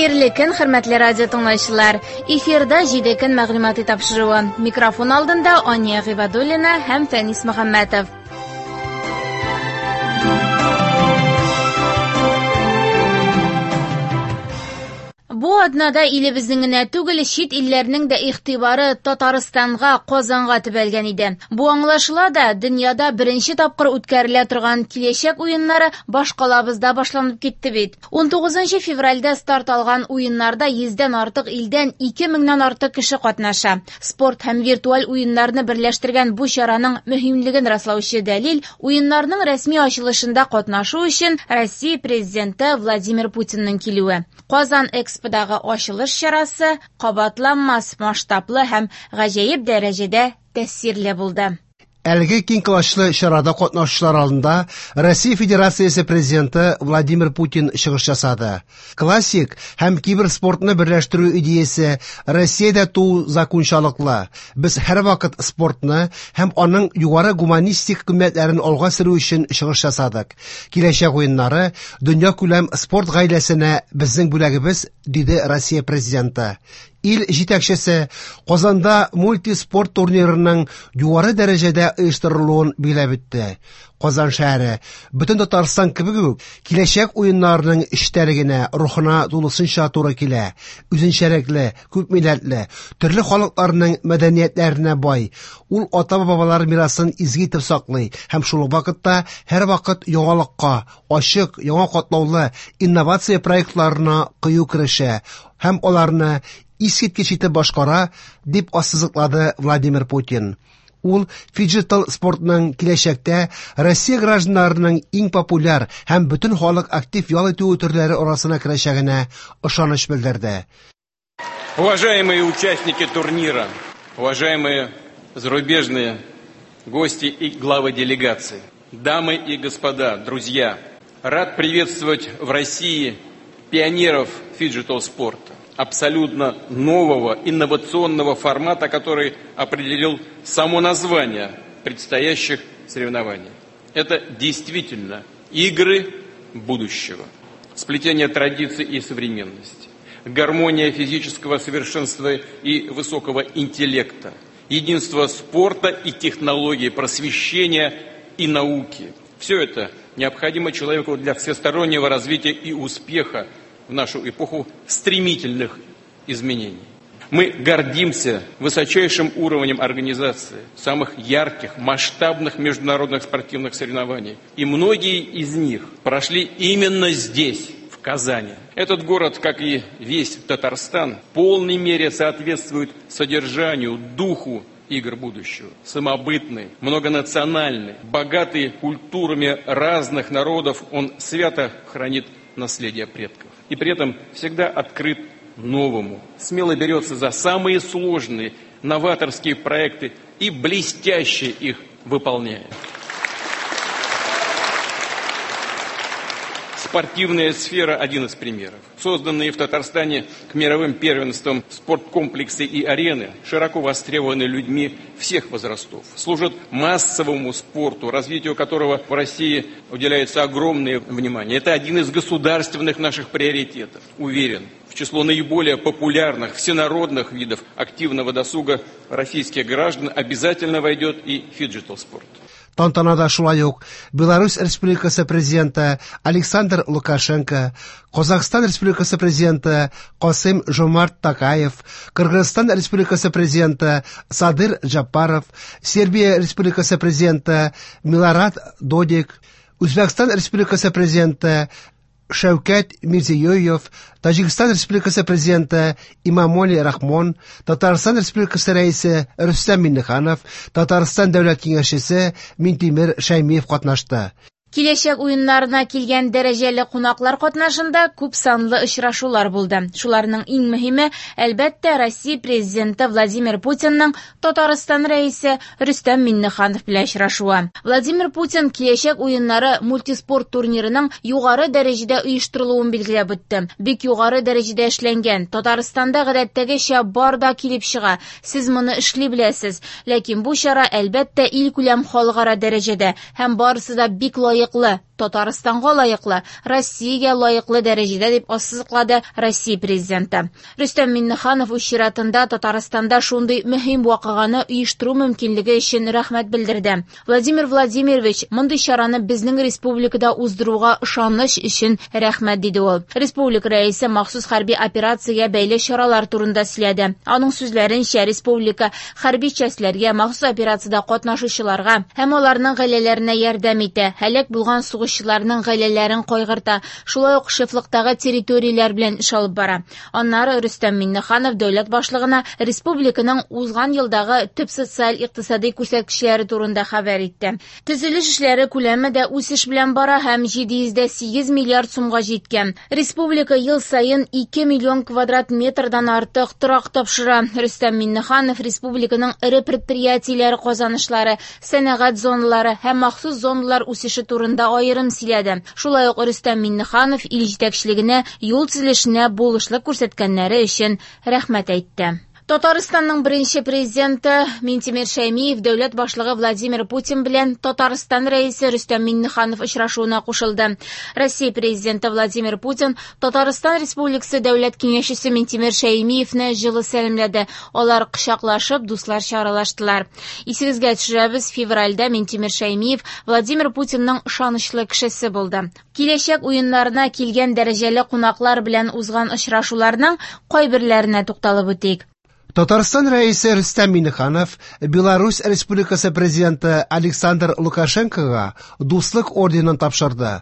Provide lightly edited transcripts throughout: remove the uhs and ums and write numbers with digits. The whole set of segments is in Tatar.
Хәерле көн, хөрмәтле радио тыңлаучылар. Эфирда 7 көн мәгълүмати тапшыруы. Микрофон алдында Ания Гыйбадуллина һәм Фәнис Мөхәммәтов. Бу атнада илебезнең генә түгел, чит илләрнең дә игътибары Татарстанга, Казанга төбәлгән иде. Бу аңлашыла да, дөньяда беренче тапкыр үткәрелә торган киләчәк уеннары башкалабызда башланып китте бит. 19 февральдә старт алган уеннарда 100дән артык илдән 2000ннән артык кеше катнаша. Спорт һәм виртуаль уеннарны берләштергән бу чараның мөһимлеген раслаучы дәлил уеннарның рәсми ачылышында катнашу өчен Россия президенты Владимир Путинның килүе. Казан Эксподагы ачылыш чарасы кабатланмас масштаблы һәм гаҗәеп дәрәҗәдә тәэсирле булды. Әлеге киң колачлы чарада катнашучылар алдында Россия Федерациясе президенты Владимир Путин чыгыш ясады. Классик һәм киберспортны берләштерү идеясе Россиядә туу закончалыклы. Без һәрвакыт спортны һәм аның югары гуманистик кыйммәтләрен алга сөрү өчен чыгыш ясадык. Киләчәк уеннары дөнья күләм спорт гаиләсенә безнең бүләгебез, диде Россия президенты. Ил җитәкчесе Казанда мультиспорт турнирының югары дәрәҗәдә оештырылуын билгеләп үтте. Казан шәһәре бөтен Татарстан кебек үк киләчәк уеннарының эчтәлегенә, рухына тулысынча туры килә. Үзенчәлекле, күп милләтле, төрле халыкларның мәдәниятләренә бай. Ул ата-бабалар мирасын изге итеп саклый һәм шул ук вакытта һәрвакыт яңалыкка, ачык, яңа катлаулы инновация проектларына кыю керешә һәм аларны искиткеч итеп башкара, дип ассызыклады Владимир Путин. Ул фиджитал спортның киләчәктә Россия гражданнарының иң популяр һәм бөтен халык актив ял итү төрләре арасына керәчәгенә ышаныч белдерде. Уважаемые участники турнира, уважаемые зарубежные гости и главы делегаций, дамы и господа, друзья, рад приветствовать в России пионеров фиджитал-спорта, абсолютно нового инновационного формата, который определил само название предстоящих соревнований. Это действительно игры будущего, сплетение традиций и современности, гармония физического совершенства и высокого интеллекта, единство спорта и технологий, просвещения и науки. Все это необходимо человеку для всестороннего развития и успеха в нашу эпоху стремительных изменений. Мы гордимся высочайшим уровнем организации самых ярких, масштабных международных спортивных соревнований. И многие из них прошли именно здесь, в Казани. Этот город, как и весь Татарстан, в полной мере соответствует содержанию, духу игр будущего. Самобытный, многонациональный, богатый культурами разных народов, он свято хранит наследие предков. И при этом всегда открыт новому, смело берется за самые сложные новаторские проекты и блестяще их выполняет. Спортивная сфера – один из примеров. Созданные в Татарстане к мировым первенствам спорткомплексы и арены широко востребованы людьми всех возрастов, служат массовому спорту, развитию которого в России уделяется огромное внимание. Это один из государственных наших приоритетов. Уверен, в число наиболее популярных всенародных видов активного досуга российских граждан обязательно войдет и фиджитал-спорт. Тантанада шулай ук Беларусь Республикасы президенты Александр Лукашенко, Казахстан Республикасы президенты Касым Жомарт Токаев, Кыргызстан Республикасы президенты Садыр Жапаров, Сербия Республикасы президенты Милорад Додик, Үзбәкстан Республикасы президенты Шәүкәт Мирзиёев, Таҗикстан Республикасы президенты Имамоли Рахмон, Татарстан Республикасы рәисе Рөстәм Миңнеханов, Татарстан Дәүләт Киңәшчесе Минтимер Шәймиев катнашты. Киләчәк уеннарына килгән дәрәҗәле кунаклар катнашында күп санлы очрашулар булды. Шуларның иң мөһиме, әлбәттә, Россия президенты Владимир Путинның Татарстан рәисе Рөстәм Миңнеханов белән очрашуы. Владимир Путин киләчәк уеннары мультиспорт турнирының югары дәрәҗәдә оештырылуын билгеләп үтте. Бик югары дәрәҗәдә эшләнгән. Татарстанда гадәттәгечә бар да килеп чыга. Сез моны эшли беләсез. Ләкин бу чара, әлбәттә, илкүләм халыкара дәрәҗәдә һәм барысы да бик лаеклы. Татарстанга лаеклы, Россиягә лаеклы дәрәҗәдә, дип ассызыклады Россия Президенты. Рөстәм Миңнеханов үз чиратында Татарстанда шундый мөһим вакыйганы оештыру мөмкинлеге өчен рәхмәт белдерде. Владимир Владимирович, мондый чараны безнең республикада уздыруга ышаныч өчен рәхмәт, диде ул. Республика рәисе махсус хәрби операциягә бәйле чаралар турында сөйләде. Аның сүзләренчә, республика хәрби частьләргә, махсус операциядә катнашучыларга һәм аларның гаиләләренә ярдәм итә, һәлак булган сугышчыларның гаиләләрен кайгырта, шулай ук шефлыктагы территорияләр белән эш алып бара. Аннары Рөстәм Миңнеханов дәүләт башлыгына республиканың узган елдагы төп социаль-икътисади күрсәткечләре турында хәбәр итте. Төзелеш эшләре күләме дә үсеш белән бара һәм 708 миллиард сумга җиткән. Республика ел саен 2 миллион квадрат метрдан артык торак тапшыра. Рөстәм Миңнеханов республиканың эре предприятиеләре казанышлары, сәнәгать зоналары һәм махсус зоналар үсеше турында аерым сөйләде. Шулай ук Рөстәм Миңнеханов ил җитәкчелегенә юл төзелешенә булышлык күрсәткәннәре өчен рәхмәт әйтте. Татарстанның беренче президенты Минтимер Шәймиев дәүләт башлыгы Владимир Путин белән Татарстан рәисе Рөстәм Миңнеханов очрашуына кушылды. Россия президенты Владимир Путин Татарстан Республикасы дәүләт киңәшчесе Минтимер Шәймиевне җылы сәламләде. Алар кочаклашып, дусларча аралаштылар. Исегезгә төшерәбез, февральдә Минтимер Шәймиев Владимир Путинның ышанычлы кешесе булды. Киләчәк уеннарына килгән дәрәҗәле кунаклар белән узган очрашуларның кайберләренә тукталып үтик. Татарстан рәисе Рөстәм Миңнеханов Беларусь Республикасы президенты Александр Лукашенкога Дуслык орденын тапшырды.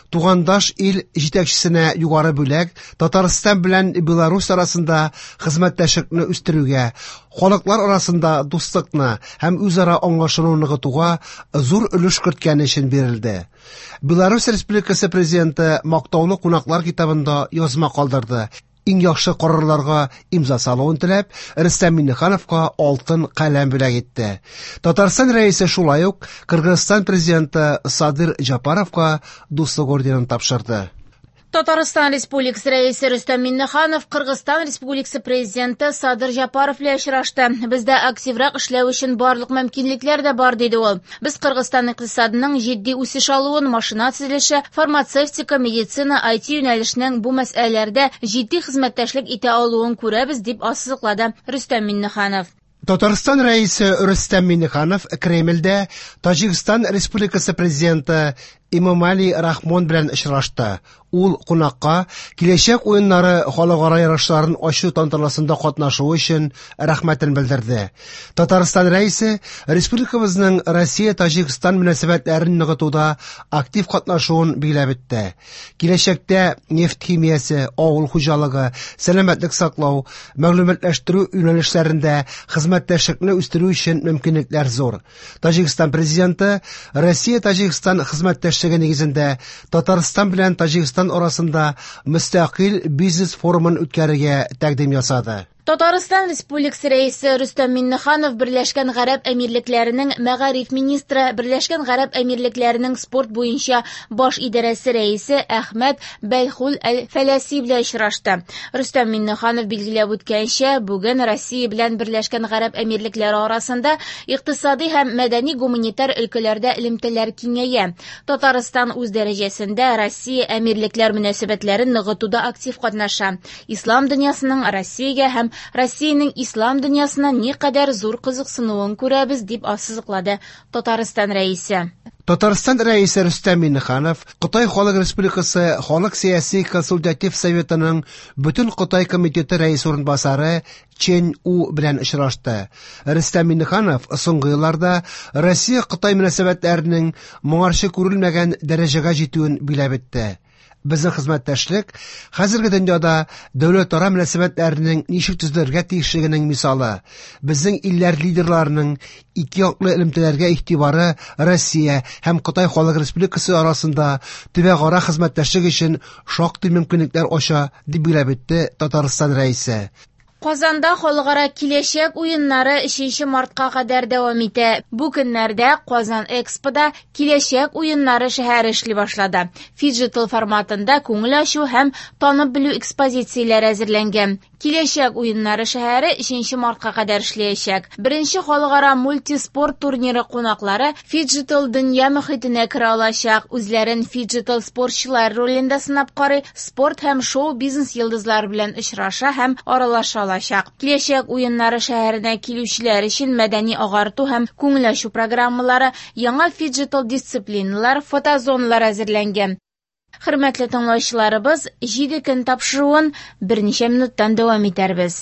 Тугандаш ил җитәкчесенә югары бүләк Татарстан белән Беларусь арасында хезмәттәшлекне үстерүгә, халыклар арасында дуслыкны һәм үзара аңлашуны ныгытуга зур өлеш керткәне өчен бирелде. Беларусь Республикасы президенты мактаулы кунаклар китабында язма калдырды. Иң яхшы карарларга имза салуын теләп, Рөстәм Миңнехановка алтын каләм бүләк итте. Татарстан рәисе шулай ук Кыргызстан президенты Садыр Жапаровка Дуслык орденын тапшырды. Татарстан Республикасы рәисе Рөстәм Миңнеханов Кыргызстан Республикасы президенты Садыр Жапаров белән очрашты. Бездә активрак эшләү өчен барлык мөмкинлекләр дә бар, диде ул. Без Кыргызстан икътисадының җитди үсеш алуын, машина төзелеше, фармацевтика, медицина, IT юнәлешенең бу мәсьәләләрдә җитди хезмәттәшлек итә алуын күрәбез, дип ассызыклады Рөстәм Миңнеханов. Татарстан рәисе Рөстәм Миңнеханов Кремльдә Таҗикстан Республикасы президенты Эмомали Рахмон белән очрашты. Ул кунакка киләчәк уеннары халыкара ярышларын ачу тантанасында катнашуы өчен рәхмәтен белдерде. Татарстан рәисе республикабызның Россия-Таҗикстан мөнәсәбәтләрен ныгытуда актив катнашуын билгеләп үтте. Киләчәктә нефть химиясе, авыл хуҗалыгы, сәламәтлек саклау, мәгълүматлаштыру юнәлешләрендә хезмәттәшлекне үстерү өчен мөмкинлекләр зур. Таҗикстан президенты Россия-Таҗикстан хезмәттәшлеге нигезендә Татарстан белән Таҗикстан арасында мөстәкыйль бизнес форумын үткәрергә тәкъдим ясады. Татарстан Республикасы рәисе Рөстәм Миңнеханов Берләшкән Гарәп Әмирлекләренең мәгариф министры, Берләшкән Гарәп Әмирлекләренең спорт буенча баш идарәсе рәисе Әхмәт Бәлхул әл-Фәләси белән очрашты. Рөстәм Миңнеханов билгеләп үткәнчә, бүген Россия белән Берләшкән Гарәп Әмирлекләре арасында икътисади һәм мәдәни-гуманитар өлкәләрдә элемтәләр киңәя. Татарстан үз дәрәҗәсендә Россия Әмирлекләр мөнәсәбәтләрен ныгытуда актив катнаша. Ислам дөньясының Россиягә һәм Россиянең ислам дөньясына никадәр зур кызыксынуын күрәбез, дип ассызыклады Татарстан рәисе. Татарстан рәисе Рөстәм Миңнеханов Кытай Халык Республикасы Халык сәяси консультатив советының Бөтен Кытай комитеты рәисе урынбасары Чен У белән очрашты. Рөстәм Миңнеханов соңгы елларда Россия-Кытай мөнәсәбәтләренең моңарчы күрелмәгән дәрәҗәгә җитүен билгеләп үтте. Безнең хезмәттәшлек хәзерге дөньяда дәүләтара мөнәсәбәтләренең ничек төзелергә тиешлегенең мисалы. Безнең илләр лидерларының ике яклы элемтәләргә игътибары Россия һәм Кытай Халык Республикасы арасында төбәкара хезмәттәшлек өчен шактый мөмкинлекләр ача, дип билгеләп үтте Татарстан рәисе. Казанда халыкара Киләчәк уеннары 3 мартка кадәр дәвам итә. Бу көннәрдә Казан Экспода Киләчәк уеннары шәһәре эшли башлады. Фиджитал форматында күңел ачу һәм танып белү экспозицияләре әзерләнгән. Киләчәк уеннары шәһәре 3 мартка кадәр эшләячәк. Беренче халыкара мультиспорт турниры кунаклары фиджитал дөнья мохитенә керә алачак. Үзләрен фиджитал спортчылар ролендә сынап карый, спорт һәм шоу-бизнес йолдызлары белән очраша һәм аралаша алачак. Киләчәк уеннары шәһәренә килүчеләр өчен мәдәни агарту һәм күңел ачу программалары, яңа фиджитал дисциплиналар, фотозоналар әзерләнгән. Хөрмәтле тыңлаучыларыбыз, 7 көн тапшыруын берничә минуттан дәвам итәрбез.